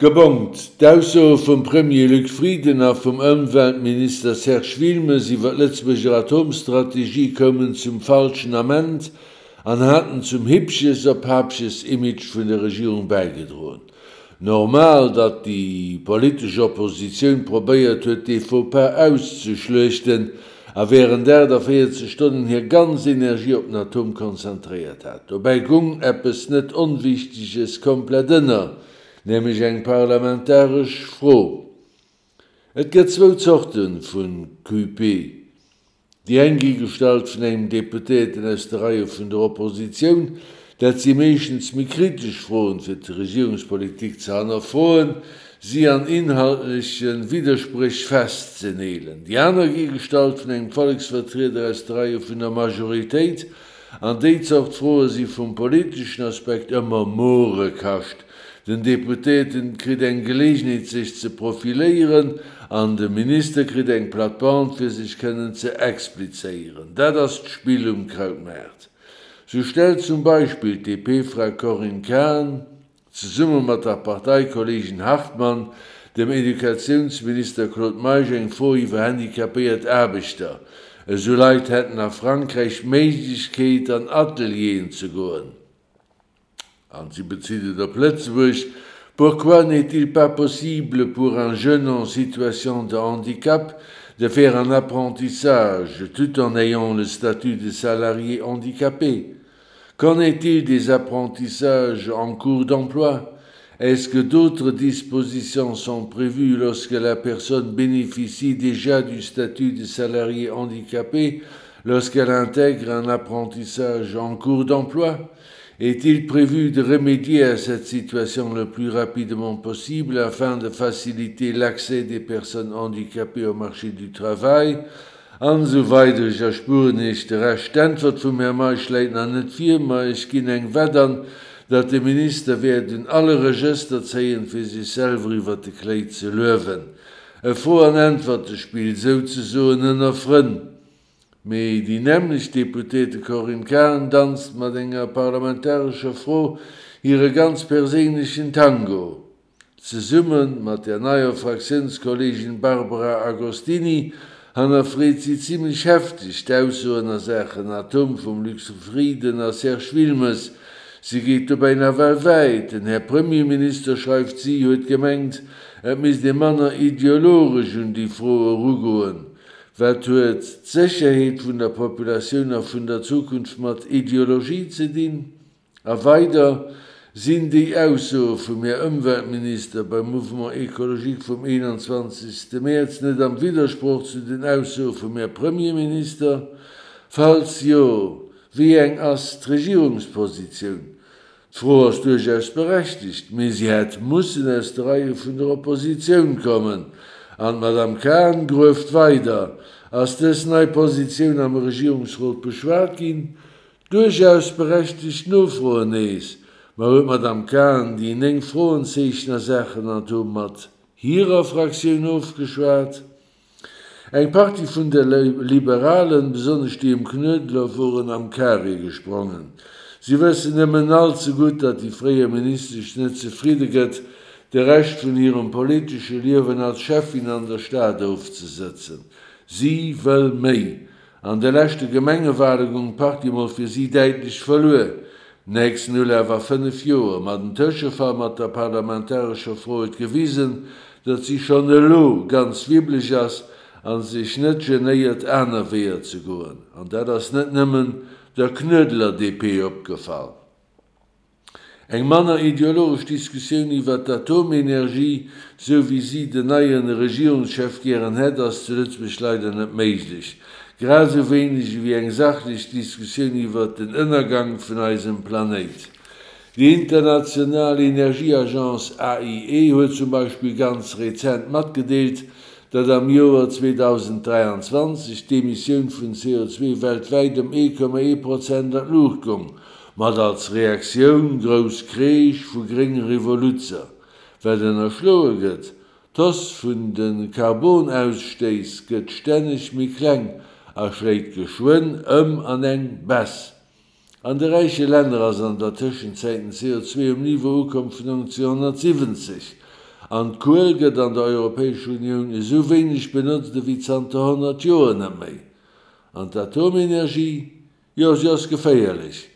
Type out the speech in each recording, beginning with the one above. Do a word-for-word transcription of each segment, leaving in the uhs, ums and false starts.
Gebongt, D'Aussoe vum Premier Luc Frieden a vum Ëmweltminister Serge Wilmes iwwer d'Lëtzebuerger Atomstrategie koumen zum falschen Ament an haten zum Hippches-op-Haapches-Image vun der Regierung bäigedroen. Normal, datt déi politesch Oppositioun probéiert huet, dee Faux-pas auszeschluechten a wärend aachtavéierzeg Stonnen hir ganz Energie op den Atom konzentréiert hat. Dobäi gung eppes net Onwichteges komplett ënner, nämlech eng parlamentaresch Fro. Et gëtt zwou Zorte vu Q P. Déi eng gi gestallt vun engem Deputéierten aus de Reie vun der Oppositioun. Dat si meeschtens méi kritesch Froen, fir d'Regierungspolitik ze hannerfroen, si an inhaltleche Widderspréch festzeneelen. Déi aner gi gestallt vun engem Volleksvertrieder aus de Reie vun der Majoritéit. An déi Zort Froe si vum politeschen Aspekt ëmmer Morekascht. Den Deputéierten kritt eng Geleegenheet sech ze profiléieren an de Minister kritt eng Plattband fir sech kënnen ze explizéieren. Dat ass d'Spill um Krautmaart. Sou stellt zum Beispill d'D P-Fra Corinne Cahen zesumme mat der Parteikolleegin Hartmann dem Educatiounsminister Claude Meisch eng Fro iwwer handicapéiert Aarbechter. Esou Leit hätten a Frankräich d'Méiglechkeet an Atelieren ze goen. An si bezitt et op Lëtzebuerg: Pourquoi n'est-il pas possible pour un jeune en situation de handicap de faire un apprentissage tout en ayant le statut de salarié handicapé? Qu'en est-il des apprentissages en cours d'emploi? Est-ce que d'autres dispositions sont prévues lorsque la personne bénéficie déjà du statut de salarié handicapé lorsqu'elle intègre un apprentissage en cours d'emploi? Est-il prévu de remédier à cette situation le plus rapidement possible afin de faciliter l'accès des personnes handicapées au marché du travail? An esou weider. Ech erspueren Iech de Rescht. D'Äntwert vum Här Meisch läit nach net vir, ma ech ginn eng Wett an, datt de Minister wäert un alle Regëster zéien, fir sech selwer iwwert de Kléi ze luewen. E Fro an Äntwertespill souzesoen ënner Frënn. Mee déi nämmlecht Deputéierte Corinne Cahen danzt mat enger parlamentarescher Fro hire ganz perséinlechen Tango. Zesumme mat der neier Fraktiounskolleegin Barbara Agostini hannerfreet si zimmlech hefteg d'Aussoen a Saachen Atom vum Luc Frieden a Serge Wilmes. Si geet dobäi nawell wäit. Den Här Premierminister, schreift si, huet gemengt, et misst ee manner ideologesch un déi Fro erugoen. Wat huet d'Sécherheet vun der Populatioun a vun der Zukunft mat Ideologie ze dinn? A weider, Sinn déi Aussoe vum Här Ëmweltminister beim Mouvement Ecologique vum eenanzwanzegste Mäerz net am Widdersproch zu den Aussoe vum Här Premierminister? Falls jo, wéi eng ass d'Regierungspositioun? D'Fro ass duerchaus berechtegt, mee si hätt mussen aus de Reie vun der Oppositioun kommen. An d'Madame Cahen grueft weider, Ass dës nei Positioun am Regierungsrot beschwat ginn? Duerchaus berechtegt Nofroen nees. Ma huet d'Madame Cahen déi néng Froenzeechen a Saachen Atom mat hirer Fraktioun ofgeschwat? Eng Partie vun de Liberalen, besonnesch déi ëm Knuedler, woren am Carré gesprongen. Si wëssen nëmmen all ze gutt, datt déi fréier Ministesch net zefridde gëtt, de Rescht vun hirem politesche Liewen als Schäffin an der Stad ofzesëtzen. Si wëll méi. An de leschte Gemengewale goung d'Partie mol fir si däitlech verluer. Nächsten Ulaf a fënnef Joer. Ma den Tëschefall mat der parlamentarescher Fro huet gewisen, datt si schonn elo ganz wibbeleg ass a sech net genéiert, aner Weeër ze goen. An dat ass net nëmmen der Knuedler D P opgefall. Eng manner ideologesch Diskussioun iwwer d'Atomenergie, sou wéi si den neie Regierungschef gären hätt, ass zu Lëtzebuerg leider net méiglech. Grad esou wéineg ewéi eng sachlech Diskussioun iwwer den Ënnergang vun eisem Planéit. Déi international Energieagence A I E huet zum Beispill ganz rezent matgedeelt, datt am Joer zweedausenddräianzwanzeg d'Emissioun vun C O zwee weltwäit ëm ee Komma ee Prozent an d'Luucht goung, mat als Reaktioun grouss Kreesch vu grénge Revoluzzer. Wat ënnerschloe gëtt, D'Hausse vun de Karbonausstéiss gëtt stänneg méi kleng a schléit geschwënn ëm an eng Baisse. An de räiche Länner ass an der Tëschenzäit den C O zwee um Niveau ukomm vun nonzénhonnertsiwwenzeg. An d'Kuel gëtt an der Europäescher Unioun esou wéineg benotzt ewéi zanter honnert Joer net méi. An d'Atomenergie? Jo, si ass geféierlech,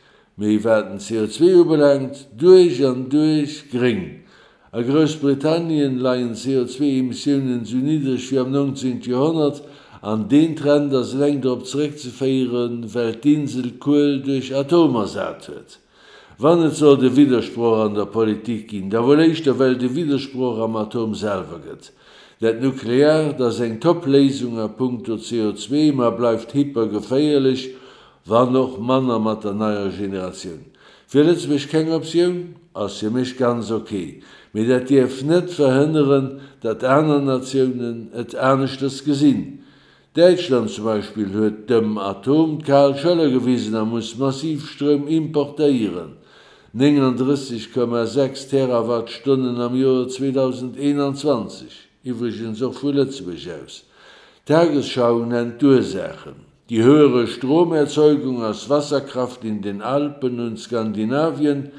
mee wat den C O zwee ubelaangt, duerch an duerch gréng. A Groussbritannien leien d'C O zwee Emissiounen esou niddreg wéi am neunzehnten Joerhonnert, an deen Trend ass eleng drop zeréckzeféieren, well d'Insel d'Kuel duerch Atom ersat huet. Wann et sollt e Widdersproch an der Politik ginn, da wuel éischter well et e Widdersproch am Atom selwer gëtt. Dat Nukleaart ass eng Top-Léisung a punkto C O zwee, ma bleift hypergeféierlech, wann och manner mat der neier Generatioun. Fir Lëtzebuerg keng Optioun? Ass fir mech ganz ok. Mee dat dierf net verhënneren, datt aner Natiounen et aneschters gesinn. Däitschland zum Beispill huet dem Atom d'kal Schëller gewisen a muss massiv Stroum importéieren, neununddrësseg Komma sechs Terawattstonnen am Joer zweedausendeenanzwanzeg, iwwregens och vu Lëtzebuerg aus. D'Tagesschau nennt d'Ursaachen: Die höhere Stromerzeugung aus Wasserkraft in den Alpen und Skandinavien,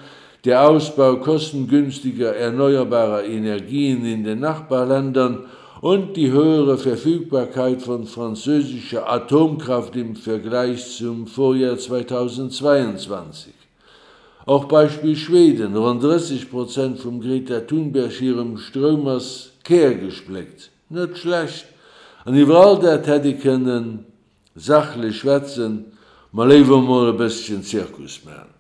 der Ausbau kostengünstiger erneuerbarer Energien in den Nachbarländern und die höhere Verfügbarkeit von französischer Atomkraft im Vergleich zum Vorjahr zweitausendzweiundzwanzig. Och Beispill Schweden, ronn drësseg Prozent vum Greta Thunberg hirem Stroum ass kärgespléckt. Net schlecht. An iwwer all dat hätt ee kënnen sachlech schwätzen, ma léiwer mol e bësschen Zirkus maachen.